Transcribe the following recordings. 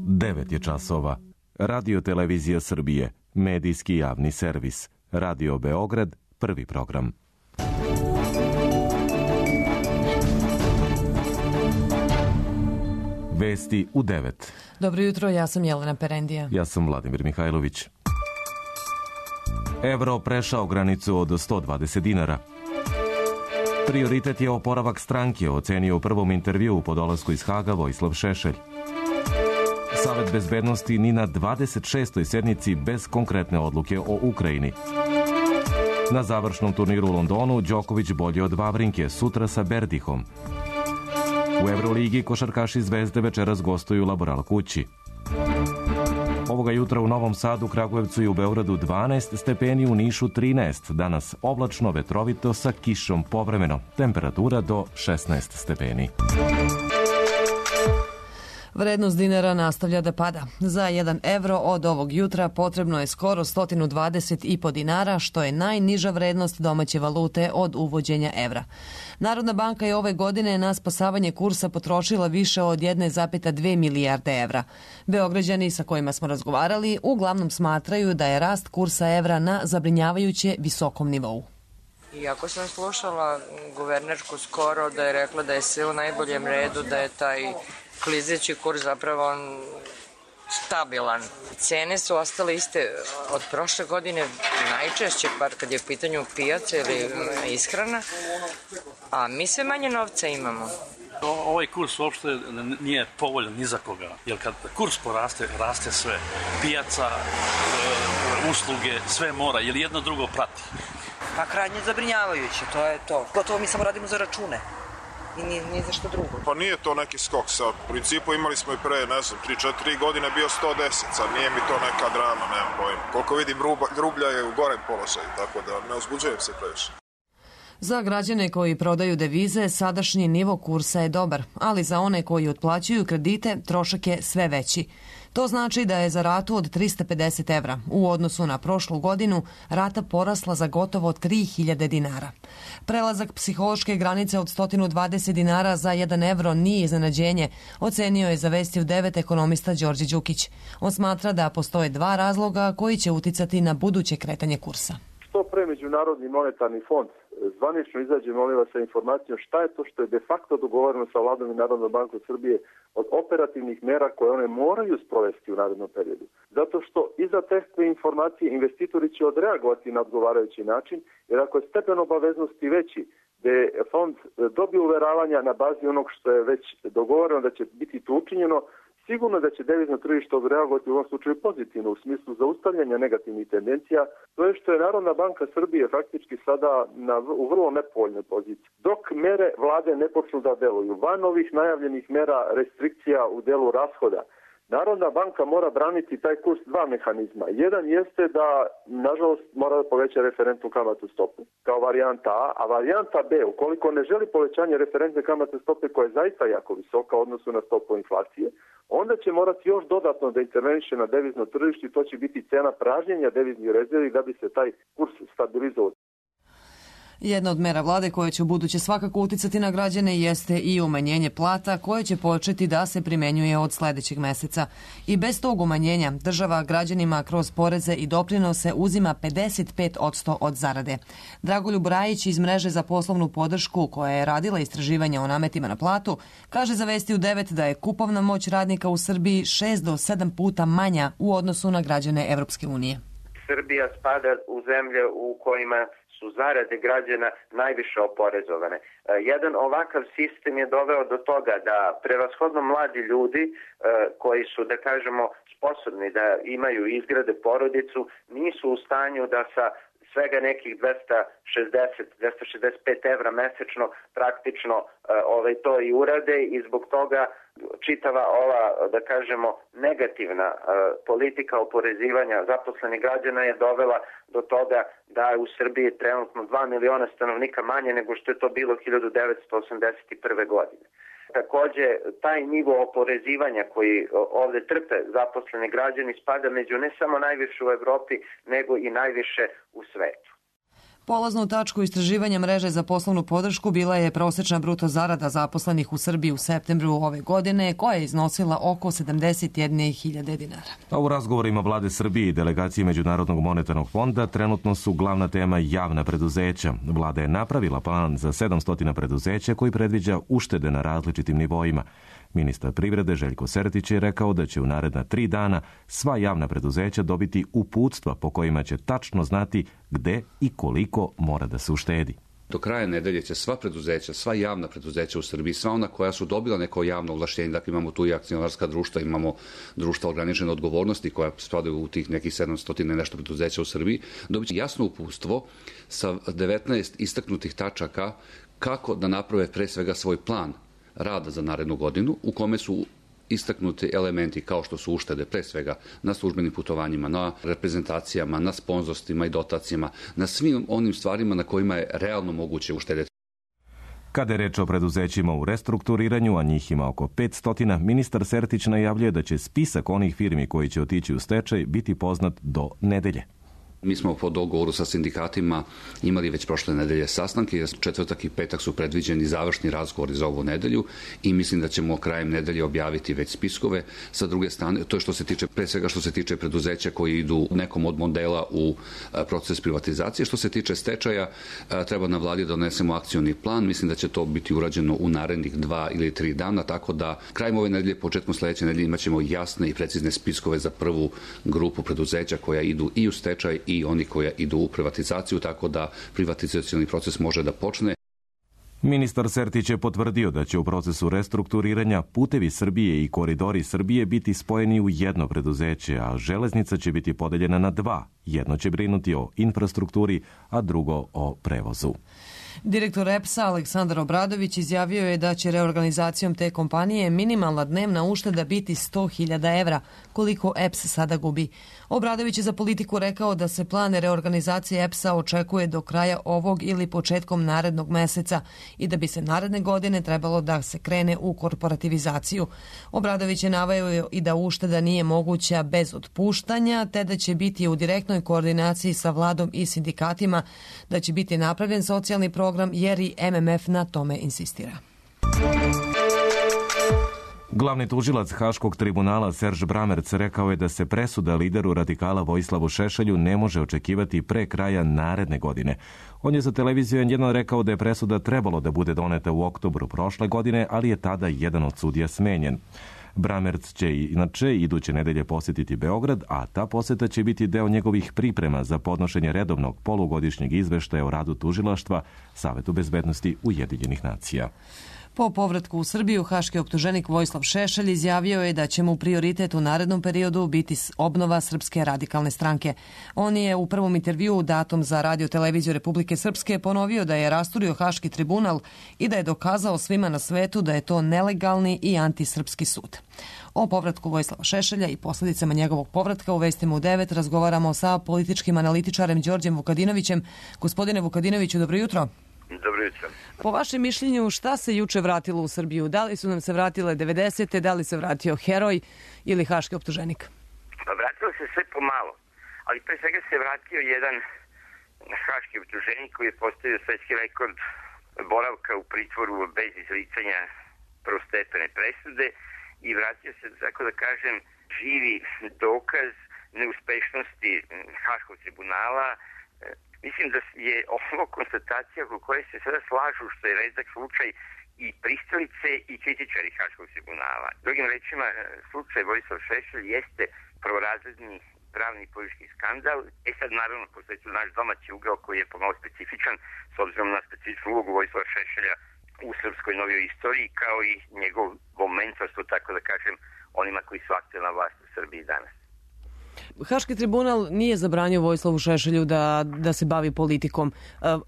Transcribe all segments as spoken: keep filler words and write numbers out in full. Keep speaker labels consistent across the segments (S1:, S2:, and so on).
S1: devet je časova. Radio Televizija Srbije, medijski javni servis. Radio Beograd, prvi program. Vesti u devet.
S2: Dobro jutro, ja sam Jelena Perendija.
S1: Ja sam Vladimir Mihajlović. Evro prešao granicu od sto dvadeset dinara. Prioritet je oporavak stranke, ocenio u prvom intervjuu po dolasku iz Haga Vojislav Šešelj. Savet bezbednosti ni na dvadeset šestoj sednici bez konkretne odluke o Ukrajini. Na završnom turniru u Londonu Đoković bolje od Vavrinke, sutra sa Berdihom. U Evroligi košarkaši Zvezde večeras gostuju Laboral kući. Ovoga jutra u Novom Sadu, Kragujevcu i u Beogradu dvanaest stepeni, u Nišu trinaest. Danas oblačno, vetrovito sa kišom povremeno. Temperatura do šesnaest stepeni.
S2: Vrednost dinara nastavlja da pada. Za jedan evro od ovog jutra potrebno je skoro sto dvadeset i po dinara, što je najniža vrednost domaće valute od uvođenja evra. Narodna banka je ove godine na spasavanje kursa potrošila više od jedne zarez dve milijarde evra. Beograđani sa kojima smo razgovarali uglavnom smatraju da je rast kursa evra na zabrinjavajuće visokom nivou.
S3: Iako sam slušala guvernerku skoro da je rekla da je sve u najboljem redu, da je taj klizeći kurs zapravo stabilan. Cene su ostale iste od prošle godine najčešće, par kad je u pitanju pijaca ili ishrana, a mi sve manje novca imamo.
S4: Ovaj kurs uopšte nije povoljan ni za koga, jer kad kurs poraste, raste sve. Pijaca, usluge, sve mora, jer jedno drugo prati.
S5: Pa krajnje zabrinjavajuće, to je to. Gotovo mi samo radimo za račune. I ni, ni za što drugo.
S6: Pa nije to neki skok sad. U principu imali smo i pre, ne znam, tri četiri godine bio sto deset, sad nije mi to neka drama, nemam pojma. Koliko vidim, rublja je u gorem položaju, tako da ne uzbuđujem se previše.
S2: Za građane koji prodaju devize, sadašnji nivo kursa je dobar, ali za one koji otplaćuju kredite, trošak je sve veći. To znači da je za ratu od trista pedeset evra u odnosu na prošlu godinu rata porasla za gotovo tri hiljade dinara. Prelazak psihološke granice od sto dvadeset dinara za jedan evro nije iznenađenje, ocenio je za Vesti u devet ekonomista Đorđe Đukić. On smatra da postoje dva razloga koji će uticati na buduće kretanje kursa.
S7: Što pre Međunarodni monetarni fond zvanično izađe, molim vas, sa informacijom šta je to što je de facto dogovoreno sa Vladom i Narodnom bankom Srbije od operativnih mera koje one moraju sprovesti u narednom periodu. Zato što iza te informacije investitori će odreagovati na odgovarajući način, jer ako je stepen obaveznosti veći, da je fond dobio uveravanja na bazi onog što je već dogovoreno da će biti to učinjeno, sigurno da će devizno tržište odreagovati u ovom slučaju pozitivno u smislu zaustavljanja negativnih tendencija, to je što je Narodna banka Srbije faktički sada na, u vrlo nepovoljnoj poziciji. Dok mere vlade ne počnu da deluju, van ovih najavljenih mera restrikcija u delu rashoda, Narodna banka mora braniti taj kurs dva mehanizma. Jedan jeste da, nažalost, mora da poveća referentnu kamatnu stopu kao varijanta A, a varijanta B, ukoliko ne želi povećanje referentne kamatne stope koja je zaista jako visoka u odnosu na stopu inflacije, onda će morati još dodatno da interveniše na devizno tržište i to će biti cena pražnjenja deviznih rezervi da bi se taj kurs stabilizovao.
S2: Jedna od mera vlade koja će u buduće svakako uticati na građane jeste i umanjenje plata koje će početi da se primenjuje od sledećeg meseca. I bez tog umanjenja država građanima kroz poreze i doprinose uzima pedeset pet posto od zarade. Dragoljub Rajić iz mreže za poslovnu podršku koja je radila istraživanja o nametima na platu kaže za Vesti u devet da je kupovna moć radnika u Srbiji šest do sedam puta manja u odnosu na građane Evropske unije.
S8: Srbija spada u zemlje u kojima su zarade građana najviše oporezovane. Jedan ovakav sistem je doveo do toga da prevashodno mladi ljudi koji su, da kažemo, sposobni da imaju i izgrade porodicu, nisu u stanju da sa svega nekih dvesta šezdeset do dvesta šezdeset pet evra mesečno praktično ovaj, to i urade i zbog toga čitava ova, da kažemo, negativna uh, politika oporezivanja zaposlenih građana je dovela do toga da je u Srbiji trenutno dva miliona stanovnika manje nego što je to bilo hiljadu devetsto osamdeset prve. godine. Takođe, taj nivo oporezivanja koji ovde trpe zaposleni građani spada među ne samo najviše u Evropi, nego i najviše u svetu.
S2: Polaznu tačku istraživanja mreže za poslovnu podršku bila je prosečna bruto zarada zaposlenih u Srbiji u septembru ove godine, koja je iznosila oko sedamdeset jedne hiljade dinara.
S1: A u razgovorima vlade Srbije i delegacije Međunarodnog monetarnog fonda trenutno su glavna tema javna preduzeća. Vlada je napravila plan za sedamsto preduzeća koji predviđa uštede na različitim nivoima. Ministar privrede Željko Sertić je rekao da će u naredna tri dana sva javna preduzeća dobiti uputstva po kojima će tačno znati gde i koliko mora da se uštedi.
S9: Do kraja nedelje će sva preduzeća, sva javna preduzeća u Srbiji, sva ona koja su dobila neko javno ovlašćenje, dakle imamo tu i akcionarska društva, imamo društva ograničene odgovornosti koja spadaju u tih nekih sedamsto i nešto preduzeća u Srbiji, dobit će jasno uputstvo sa devetnaest istaknutih tačaka kako da naprave pre svega svoj plan rada za narednu godinu, u kome su istaknuti elementi kao što su uštede pre svega na službenim putovanjima, na reprezentacijama, na sponzorstvima i dotacijama, na svim onim stvarima na kojima je realno moguće uštedeti.
S1: Kada je reč o preduzećima u restrukturiranju, a njih ima oko petsto, ministar Sertić najavljuje da će spisak onih firmi koji će otići u stečaj biti poznat do nedelje.
S9: Mi smo po dogovoru sa sindikatima imali već prošle nedelje sastanke, jer četvrtak i petak su predviđeni završni razgovori za ovu nedelju i mislim da ćemo krajem nedelje objaviti već spiskove. Sa druge strane, to je što se tiče, pre svega što se tiče preduzeća koji idu nekom od modela u proces privatizacije. Što se tiče stečaja, treba na vladi da donesemo akcioni plan. Mislim da će to biti urađeno u narednih dva ili tri dana, tako da krajem ove nedelje, početkom sledeće nedelje imat ćemo jasne i precizne spiskove za prvu grupu preduzeća koja idu i u stečaj i oni koji idu u privatizaciju, tako da privatizacioni proces može da počne.
S1: Ministar Sertić je potvrdio da će u procesu restrukturiranja Putevi Srbije i Koridori Srbije biti spojeni u jedno preduzeće, a železnica će biti podeljena na dva. Jedno će brinuti o infrastrukturi, a drugo o prevozu.
S2: Direktor E P S-a Aleksandar Obradović izjavio je da će reorganizacijom te kompanije minimalna dnevna ušteda biti sto hiljada evra, koliko E P S sada gubi. Obradović je za Politiku rekao da se plan reorganizacije E P S-a očekuje do kraja ovog ili početkom narednog meseca i da bi se naredne godine trebalo da se krene u korporativizaciju. Obradović je naveo i da ušteda nije moguća bez otpuštanja, te da će biti u direktnoj koordinaciji sa vladom i sindikatima, da će biti napravljen socijalni program jer i M M F na tome insistira.
S1: Glavni tužilac Haškog tribunala Serž Bramerc rekao je da se presuda lideru radikala Vojislavu Šešelju ne može očekivati pre kraja naredne godine. On je za televiziju N jedan rekao da je presuda trebalo da bude doneta u oktobru prošle godine, ali je tada jedan od sudija smenjen. Bramerc će inače iduće nedelje posjetiti Beograd, a ta poseta će biti deo njegovih priprema za podnošenje redovnog polugodišnjeg izveštaja o radu tužilaštva Savetu bezbednosti Ujedinjenih nacija.
S2: Po povratku u Srbiju, haški optuženik Vojislav Šešelj izjavio je da će mu prioritet u narednom periodu biti obnova Srpske radikalne stranke. On je u prvom intervjuu datom za Radio televiziju Republike Srpske ponovio da je rasturio Haški tribunal i da je dokazao svima na svetu da je to nelegalni i antisrpski sud. O povratku Vojislava Šešelja i posljedicama njegovog povratka u Vestima u devet razgovaramo sa političkim analitičarem Đorđem Vukadinovićem. Gospodine Vukadinoviću, dobro jutro.
S10: Dobro jutro.
S2: Po vašem mišljenju, šta se juče vratilo u Srbiju? Da li su nam se vratile devedesete, da li se vratio heroj ili haški optuženik?
S10: Pa vratilo se sve pomalo, ali pre svega se vratio jedan haški optuženik koji je postavio svetski rekord boravka u pritvoru bez izricanja prvostepene presude i vratio se, tako da kažem, živi dokaz neuspešnosti Haškog tribunala. Mislim da je ovo konstatacija oko koje se sada slažu, što je redak slučaj, i pristalice i kritičari Haškog tribunala. Drugim rečima, slučaj Vojislav Šešelj jeste prvorazredni pravni i politički skandal. E sad, naravno, postoji tu naš domaći ugao koji je pomalo specifičan, s obzirom na specifičnu ulogu Vojislava Šešelja u srpskoj novijoj istoriji, kao i njegovo mentorstvo, tako da kažem, onima koji su aktuelna vlast u Srbiji danas.
S2: Haški tribunal nije zabranio Vojislavu Šešelju da, da se bavi politikom.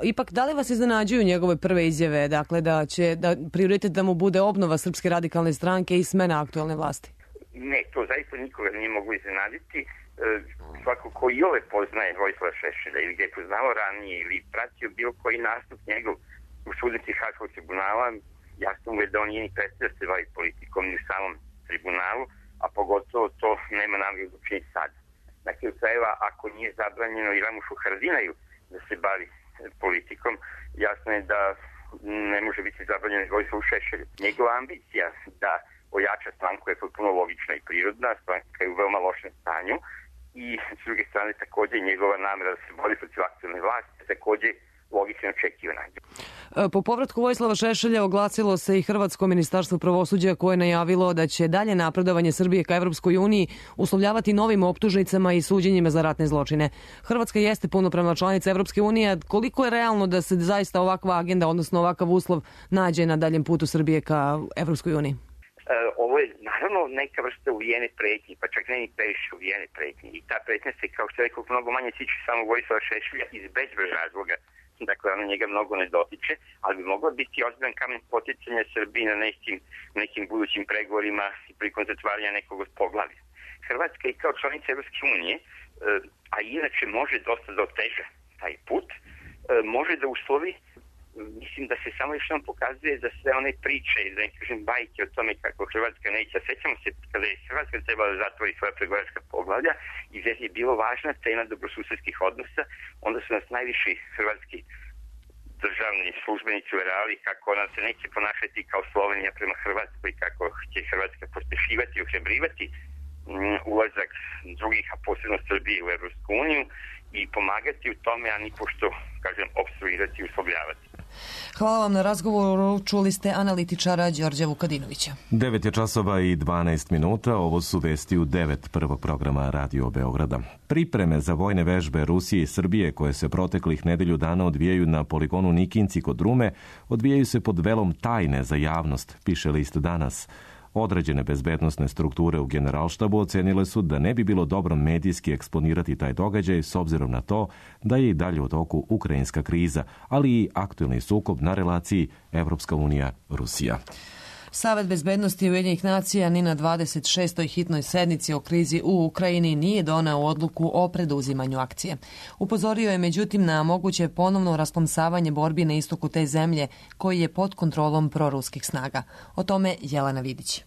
S2: Ipak, da li vas iznenađuju njegove prve izjave, dakle da će da prioritet da mu bude obnova Srpske radikalne stranke i smena aktuelne vlasti?
S10: Ne, to zaista nikoga nije mogu iznenaditi. Svako ko i ove poznaje Vojislava Šešelja ili ga je poznao ranije ili pratio bilo koji nastup njegov u sudnici Haškog tribunala, jasno mu je da on nije ni predstavio da se bavi politikom ni u samom tribunalu, a pogotovo to nema namjeru da učini sad. Na kraju krajeva, ako nije zabranjeno i Ramušu Haradinaju da se bavi Vojislavu Šešelju. Njegova ambicija da ojača stranku je potpuno logična i prirodna, stranka je u veoma lošem stanju i s druge strane takođe njegova namera da se bori protiv aktualne vlasti je takođe logično očekivana.
S2: Po povratku Vojislava Šešelja oglasilo se i Hrvatsko ministarstvo pravosuđa koje je najavilo da će dalje napredovanje Srbije ka Evropskoj uniji uslovljavati novim optužnicama i suđenjima za ratne zločine. Hrvatska jeste punopravna članica Evropske unije. Koliko je realno da se zaista ovakva agenda, odnosno ovakav uslov, nađe na daljem putu Srbije ka Evropskoj uniji?
S10: Ovo je naravno neka vrsta uvijene pretnje, pa čak ne ni previše uvijene pretnje. I ta pretnja se, kao što rekao, mnogo manje tiče samo Vojislava Šešelja iz bezbroj razloga. Dakle, ono njega mnogo ne dotiče, ali bi moglo biti ozbiljan kamen poticanja Srbiji na nekim, nekim budućim pregovorima i prilikom zatvaranja nekog od poglavlja. Hrvatska i kao članica Evropske unije, a inače može dosta da oteža taj put, može da uslovi, mislim da se samo još nam pokazuje za sve one priče, da ne kažem bajke o tome kako Hrvatska neće. Sećamo se kada je Hrvatska trebala da zatvori svoja pregovaračka poglavlja i gdje je bilo važna tema dobrosusedskih odnosa, onda su nas najviši hrvatski državni službenici uveravali kako ona se neće ponašati kao Slovenija prema Hrvatskoj, kako će Hrvatska pospešivati i ohrabrivati ulazak drugih, a posebno Srbije u Evropsku uniju i pomagati u tome, a ni pošto, kažem, obstruirati i uslovljavati.
S2: Hvala vam na razgovoru. Čuli ste analitičara Đorđa Vukadinovića.
S1: devet je časova i dvanaest minuta. Ovo su vesti u devet prvog programa Radio Beograda. Pripreme za vojne vežbe Rusije i Srbije koje se proteklih nedelju dana odvijaju na poligonu Nikinci kod Rume odvijaju se pod velom tajne za javnost, piše list Danas. Određene bezbednosne strukture u Generalštabu ocenile su da ne bi bilo dobro medijski eksponirati taj događaj s obzirom na to da je i dalje u toku ukrajinska kriza, ali i aktuelni sukob na relaciji Evropska unija-Rusija.
S2: Savet bezbednosti Ujedinjenih nacija ni na dvadeset šestoj hitnoj sednici o krizi u Ukrajini nije doneo odluku o preduzimanju akcije. Upozorio je međutim na moguće ponovno rasplamsavanje borbi na istoku te zemlje koji je pod kontrolom proruskih snaga. O tome Jelena Vidić.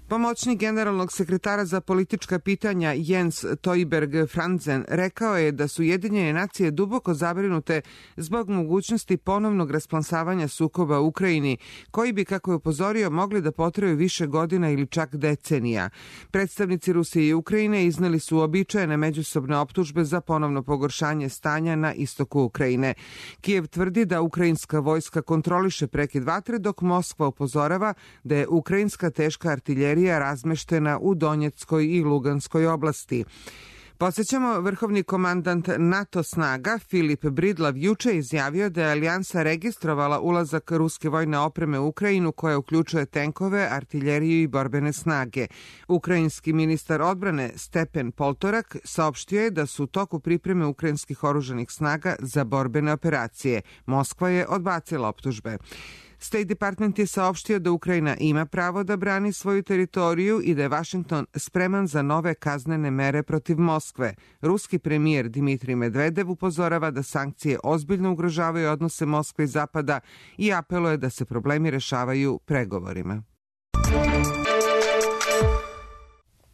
S11: Pomoćnik generalnog sekretara za politička pitanja Jens Toiberg Franzen rekao je da su Ujedinjene nacije duboko zabrinute zbog mogućnosti ponovnog rasplansavanja sukoba u Ukrajini, koji bi, kako je upozorio, mogli da potraju više godina ili čak decenija. Predstavnici Rusije i Ukrajine izneli su uobičajene međusobne optužbe za ponovno pogoršanje stanja na istoku Ukrajine. Kijev tvrdi da ukrajinska vojska kontroliše prekid vatre, dok Moskva upozorava da je ukrajinska teška artiljerija razmeštena u Donjeckoj i Luganskoj oblasti. Podsjećamo, vrhovni komandant NATO snaga Filip Bridlav juče izjavio da je alijansa registrovala ulazak ruske vojne opreme u Ukrajinu koja uključuje tenkove, artiljeriju i borbene snage. Ukrajinski ministar odbrane Stepen Poltorak saopštio je da su u toku pripreme ukrajinskih oružanih snaga za borbene operacije. Moskva je odbacila optužbe. State Department je saopštio da Ukrajina ima pravo da brani svoju teritoriju i da je Vašington spreman za nove kaznene mere protiv Moskve. Ruski premijer Dimitrij Medvedev upozorava da sankcije ozbiljno ugrožavaju odnose Moskve i Zapada i apeluje da se problemi rešavaju pregovorima.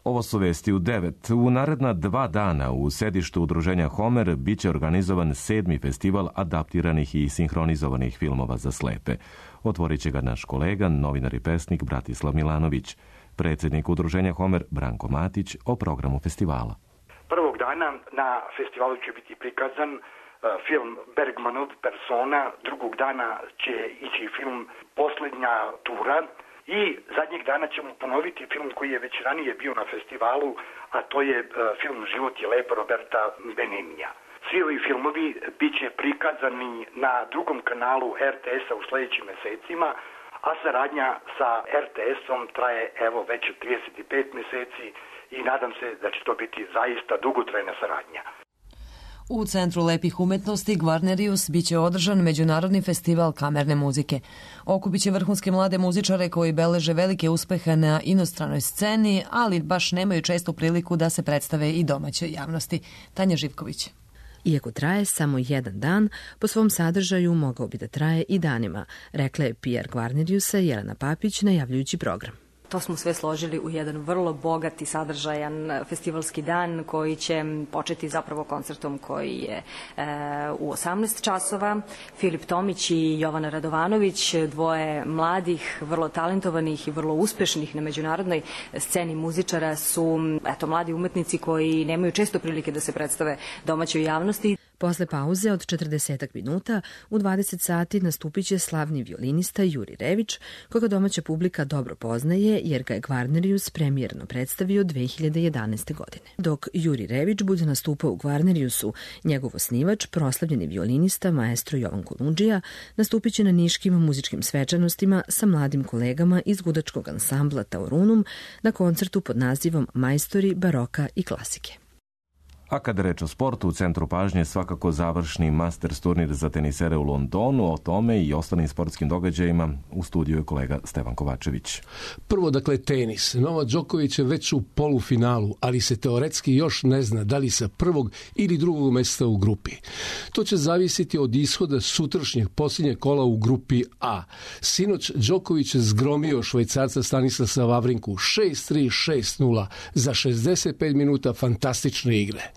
S1: Ovo su vesti u devet. U naredna dva dana u sedištu udruženja Homer biće organizovan sedmi festival adaptiranih i sinhronizovanih filmova za slepe. Otvorit će ga naš kolega, novinar i pesnik Bratislav Milanović. Predsjednik udruženja Homer Branko Matić o programu festivala.
S12: Prvog dana na festivalu će biti prikazan uh, film Bergmanov Persona, drugog dana će ići film Poslednja tura i zadnjeg dana ćemo ponoviti film koji je već ranije bio na festivalu, a to je uh, film Život je lep Roberta Benignia. Svi ovi filmovi bit će prikazani na drugom kanalu er te es-a u sljedećim mesecima, a saradnja sa er te es-om traje evo već trideset pet meseci i nadam se da će to biti zaista dugotrajna saradnja.
S2: U Centru lepih umetnosti Gvarnerius biće održan Međunarodni festival kamerne muzike. Okupit će vrhunske mlade muzičare koji beleže velike uspehe na inostranoj sceni, ali baš nemaju često priliku da se predstave i domaćoj javnosti. Tanja Živković.
S13: Iako traje samo jedan dan, po svom sadržaju mogao bi da traje i danima, rekla je P R Gvarneriusa Jelena Papić najavljujući program.
S14: To smo sve složili u jedan vrlo bogat i sadržajan festivalski dan koji će početi zapravo koncertom koji je e, u osamnaest časova. Filip Tomić i Jovana Radovanović, dvoje mladih, vrlo talentovanih i vrlo uspešnih na međunarodnoj sceni muzičara, su eto, mladi umetnici koji nemaju često prilike da se predstave domaćoj javnosti.
S13: Posle pauze od četrdeset minuta u dvadeset sati nastupit će slavni violinista Juri Rević, koga domaća publika dobro poznaje jer ga je Gvarnerius premijerno predstavio dve hiljade jedanaeste. godine. Dok Juri Rević bude nastupao u Gvarneriusu, njegov osnivač, proslavljeni violinista maestro Jovan Kolundžija, nastupit će na niškim muzičkim svečanostima sa mladim kolegama iz gudačkog ansambla Taurunum na koncertu pod nazivom Majstori baroka i klasike.
S1: A kada reč o sportu, u centru pažnje svakako završni Masters turnir za tenisere u Londonu. O tome i ostalim sportskim događajima u studiju je kolega Stevan Kovačević.
S15: Prvo, dakle, tenis. Novak Đoković je već u polufinalu, ali se teoretski još ne zna da li sa prvog ili drugog mesta u grupi. To će zavisiti od ishoda sutrašnjeg posljednjeg kola u grupi A. Sinoć Đoković je zgromio Švajcarca Stanislasa Vavrinku šest tri šest nula za šezdeset pet minuta fantastične igre.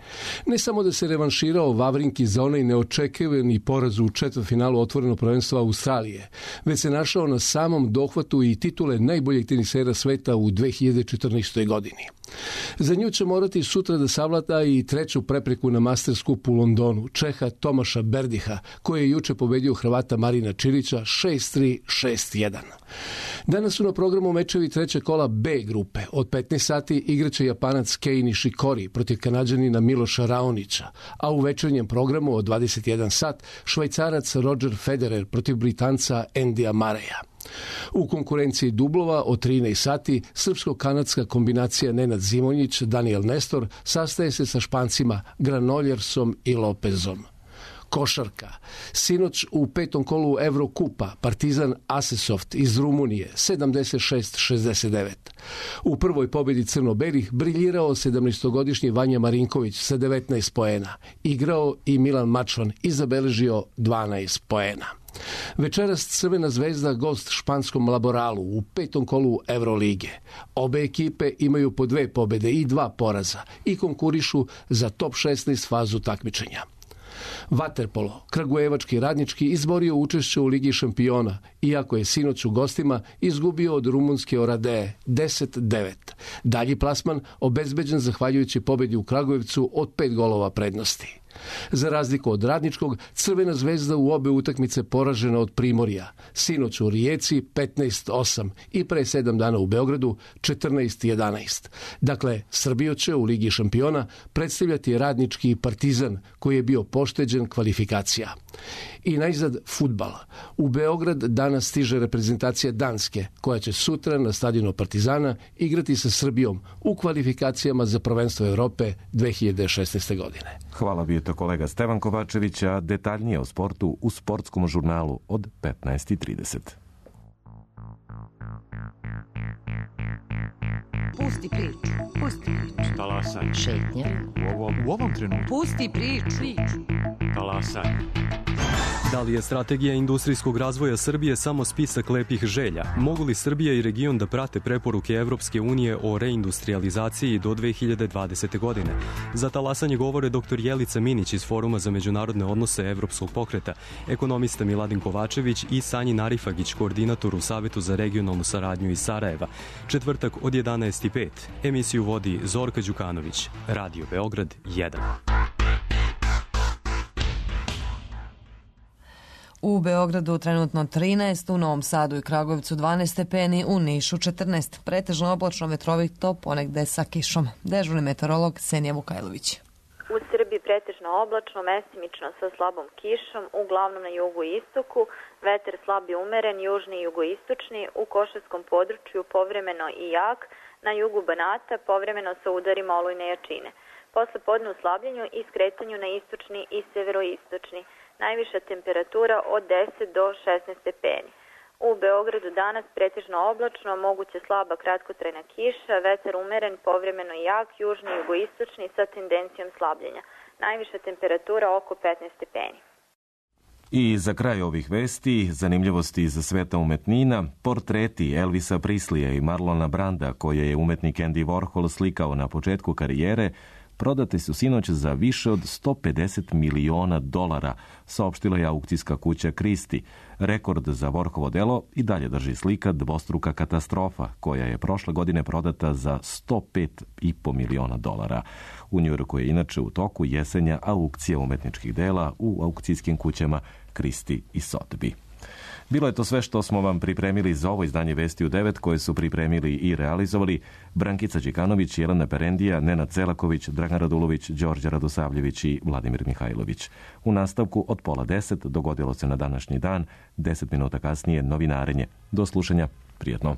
S15: Ne samo da se revanširao Vavrinki za onaj neočekivani poraz u četvrtfinalu otvorenog prvenstva Australije, već se našao na samom dohvatu i titule najboljeg tenisera sveta u dve hiljade četrnaestoj. godini. Za nju će morati sutra da savlada i treću prepreku na Masters Cup u Londonu, Čeha Tomaša Berdiha, koji je juče pobedio Hrvata Marina Čilića šest tri šest jedan. Danas su na programu mečevi treće kola B grupe. Od petnaest sati igraće Japanac Kei Nishikori protiv Kanađanina Miloša Raonića, a u večernjem programu od dvadeset jedan sat Švajcarac Roger Federer protiv Britanca Endija Mareja. U konkurenciji dublova od trinaest sati srpsko-kanadska kombinacija Nenad Zimonjić, Daniel Nestor sastaje se sa Špancima Granoljersom i Lopezom. Košarka. Sinoć u petom kolu Evrokupa Partizan Asesoft iz Rumunije sedamdeset šest šezdeset devet. U prvoj pobjedi crno-belih briljirao sedamnaestogodišnji Vanja Marinković sa devetnaest poena. Igrao i Milan Mačvan i zabeležio dvanaest poena. Večeras Crvena zvezda gost španskom Laboralu u petom kolu Evrolige. Obe ekipe imaju po dve pobjede i dva poraza i konkurišu za top šesnaest fazu takmičenja. Vaterpolo, kragujevački Radnički izborio učešće u Ligi šampiona, iako je sinoć u gostima izgubio od rumunske Oradee deset devet. Dalji plasman obezbeđen zahvaljujući pobjedi u Kragujevcu od pet golova prednosti. Za razliku od Radničkog, Crvena zvezda u obe utakmice poražena od Primorja. Sinoć u Rijeci petnaest osam i pre sedam dana u Beogradu četrnaest jedanaest. Dakle, Srbiju će u Ligi šampiona predstavljati Radnički Partizan, koji je bio pošteđen kvalifikacija. I najzad fudbal. U Beograd danas stiže reprezentacija Danske, koja će sutra na stadionu Partizana igrati sa Srbijom u kvalifikacijama za prvenstvo Evrope dve hiljade šesnaeste. godine.
S1: Hvala, bio to kolega Stevan Kovačević, a detaljnije o sportu u sportskom žurnalu od petnaest i trideset.
S16: Pusti priču, pusti priču.
S17: Talasaj.
S16: Šetnja.
S17: U ovom, u ovom trenutku.
S16: Pusti priču.
S17: Talasaj.
S18: Da li je strategija industrijskog razvoja Srbije samo spisak lepih želja? Mogu li Srbija i region da prate preporuke Evropske unije o reindustrializaciji do dve hiljade dvadesete. godine? Za talasanje govore doktor Jelica Minić iz Foruma za međunarodne odnose Evropskog pokreta, ekonomista Miladin Kovačević i Sanjin Arifagić, koordinator u Savetu za regionalnu saradnju iz Sarajeva. Četvrtak od jedanaest i pet. Emisiju vodi Zorka Đukanović. Radio Beograd jedan.
S2: U Beogradu trenutno trinaest, u Novom Sadu i Kragujevcu dvanaest stepeni, u Nišu četrnaest. Pretežno oblačno, vetrovito, ponegde sa kišom. Dežurni meteorolog Senija Vukajlović.
S19: U Srbiji pretežno oblačno, mestimično sa slabom kišom, uglavnom na jugu i istoku, vetar slab i umeren, južni i jugoistočni, u Košarskom području povremeno i jak, na jugu Banata povremeno sa udarima olujne jačine. Posle podne u slabljenju i skretanju na istočni i severoistočni. Najviša temperatura od deset do šesnaest stepeni. U Beogradu danas pretežno oblačno, moguće slaba kratkotrajna kiša, vetar umeren, povremeno jak, južni i jugoistočni sa tendencijom slabljenja. Najviša temperatura oko petnaest stepeni.
S1: I za kraj ovih vesti, zanimljivosti iz sveta umetnina, portreti Elvisa Prislija i Marlona Branda, koje je umetnik Andy Warhol slikao na početku karijere, prodati su sinoć za više od sto pedeset miliona dolara, saopštila je aukcijska kuća Christie. Rekord za Warholovo delo i dalje drži slika Dvostruka katastrofa, koja je prošle godine prodata za sto pet i po miliona dolara. U Njujorku je inače u toku jesenja aukcija umetničkih dela u aukcijskim kućama Christie i Sotheby. Bilo je to sve što smo vam pripremili za ovo izdanje Vesti u devet, koje su pripremili i realizovali Brankica Đikanović, Jelena Perendija, Nenad Celaković, Dragan Radulović, Đorđe Radosavljević i Vladimir Mihajlović. U nastavku od pola deset dogodilo se na današnji dan, deset minuta kasnije novinarenje. Do slušanja, prijatno.